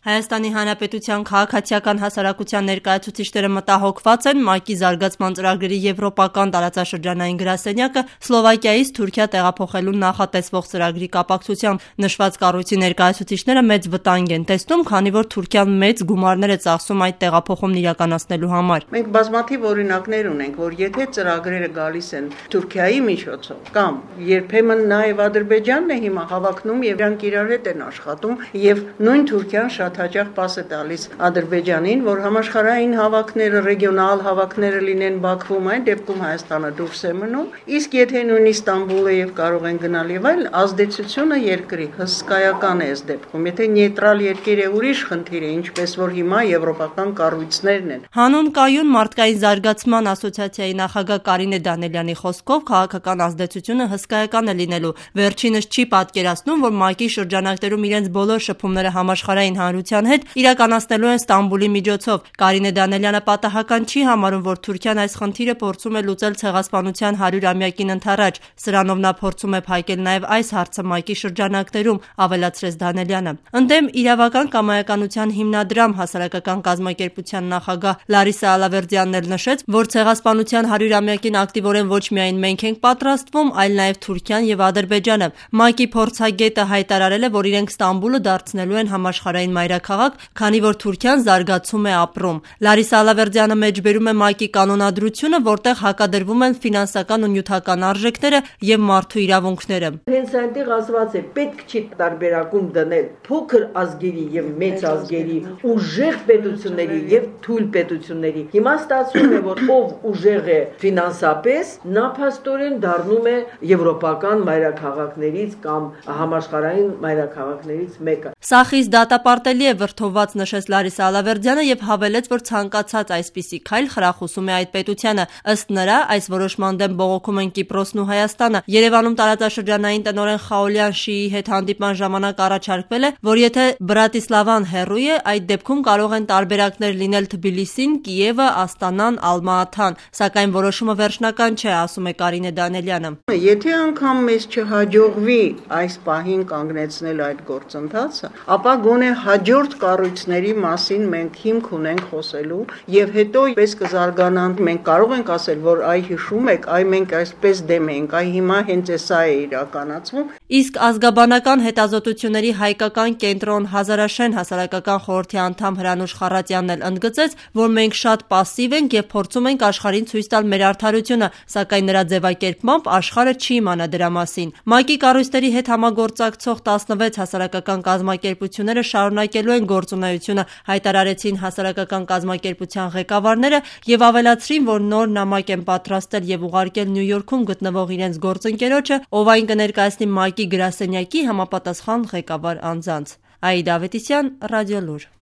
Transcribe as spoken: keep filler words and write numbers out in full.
Հայաստանի Հանրապետության քաղաքացիական հասարակության ներկայացուցիչները մտահոգված են ՄԱԿ-ի զարգացման ծրագրերի եվրոպական տարածաշրջանային գրասենյակը Սլովակիայից Թուրքիա տեղափոխելու նախատեսվող ծրագրի կապակցությամբ։ Նշված կառույցի ներկայացուցիչները մեծ վտանգ են տեսնում, քանի որ Թուրքիան մեծ գումարներ է ծախսում այդ տեղափոխումն իրականացնելու համար։ Մենք բազմաթիվ օրինակներ ունենք, որ եթե ծրագրերը գալիս են Թուրքիայի միջոցով կամ երբեմն նաև Ադրբեջանն է հիմա հավակնում եւ իրանք իրար հետ են աշխատում եւ նույն Թուրքիան շատ հաճախ պաս է տալիս Ադրբեջանին, որ համաշխարհային հավաքները, ռեգիոնալ հավաքները լինեն Բաքվում, այն դեպքում Հայաստանը դուրս է մնում, իսկ եթե նույնիսկ Ստամբուլը եւ կարող են գնալ եւ այլ, ազդեցությունը երկրի հսկայական է այս դեպքում։ Եթե նեյտրալ երկիր է, ուրիշ խնդիր է, ինչպես որ հիմա եվրոպական կառույցներն են։ Հանուն կայուն մարդկային զարգացման ասոցիացիայի նախագահ Կարինե Դանելյանի խոսքով քաղաքական ազդեցությունը հսկայական է լինելու։ Վերջինս չի պատկերացնում, որ ՄԱԿ-ի շրջանակներում իրենց բոլոր շփումները համաշխարհային հանրության հետ իրականացնելու են Ստամբուլի միջոցով։ Կարինե Դանելյանը պատահական չի համարում, որ Թուրքիան այս խնդիրը փորձում է լուծել ցեղասպանության հարյուրամյակին ընդառաջ։ Սրանով նա փորձում է փակել նաև այս հարցը ՄԱԿ-ի շրջանակներում, ավելացրեց Դանելյանը։ Ընդդեմ իրավական կամայականության հիմնադրամ հասարակական կազմակերպության նախագահ Լարիսա Ալավերդյանն էլ նշեց, որ ցեղասպանության հարյուրամյակին ակտիվորեն ոչ միայն մենք ենք պատրաստվում, այլ նաև Թուրքիան եւ Ադրբեջանը։ ՄԱԿ-ի փորձագետը հայտարարել է, որ իրենք Ստամբուլը դարձնելու են համաշխարհային մայրաքաղաք, քանի որ Թուրքիան զարգացում է ապրում։ Լարիսա Ալավերդյանը մեջբերում է ՄԱԿ-ի կանոնադրությունը, որտեղ հակադրվում են ֆինանսական ու նյութական արժեքները եւ մարդու իրավունքները։ Հենց այնտեղ ասված է, պետք չի տարբերակում դնել փոքր ազգերի եւ մեծ ազգերի, ուժեղ պետությունների եւ թույլ պետությունների։ Հիմա ստացվում է, որ ով ուժեղ է ֆինանսապես, նա փաստորեն դառնում է եվրոպական մայրաքաղաքներից կամ համաշխարհային մայրաքաղաքներից մեկը։ Սա խիստ դատապարտելի է, վրդովված նշեց Լարիսա Ալավերդյանը եւ հավելեց, որ ցանկացած այսպիսի քայլ խրախուսում է այդ պետությանը։ Ըստ նրա, այս որոշման դեմ բողոքում են Կիպրոսն ու Հայաստանը։ Երևանում տարածաշրջանային տնօրեն Խաոլյան Շիի հետ հանդիպման ժամանակ առաջարկվել է, որ եթե Բրատիսլավան հեռու է, այդ դեպքում կարող են տարբերակներ լինել Թբիլիսին, Կիևը, Աստանան, Ալմաաթան, սակայն որոշումը վերջնական չէ, ասում է Կարինե Դանելյանը։ Եթե անգամ մեզ չհաջողվի այս պահին կանգնեցնել այդ գործընթացը, ապա գոնե հաջորդ կառույցների մասին մենք հիմք ունենք խոսելու եւ հետո պես կզարգանան։ Մենք կարող ենք ասել, որ այ հիշում եք, այ մենք այսպես դեմ ենք, այ հիմա հենց էսա է իրականացվում։ Իսկ ազգաբանական հետազոտությունների հայկական կենտրոն Հազարաշեն հասարակական խորհրդի անդամ Հրանուշ Խառատյանն էլ ընդգծեց, որ մենք շատ պասիվ ենք եւ փորձում ենք աշխարհին ցույց տալ մեր արդարությունը, սակայն նրա ձևակերպմամբ աշխարհը չի իմանա դրա մասին։ ՄԱԿ-ի կառույցների հետ համագործակցող տասնվեց հասարակական կազմակերպությունները շարունակելու են գործունեությունը, հայտարարեցին հասարակական կազմակերպության ղեկավարները եւ ավելացրին, որ նոր նամակ են պատրաստել եւ ուղարկել Նյու Յորքում գտնվող իրենց գործընկերոջը, ով այն կներկայացնի ՄԱԿ-ի գրասենյակի համապատասխան ղեկավար անձանց։ Աիդա Ավետիսյան, Ռադիոլուր։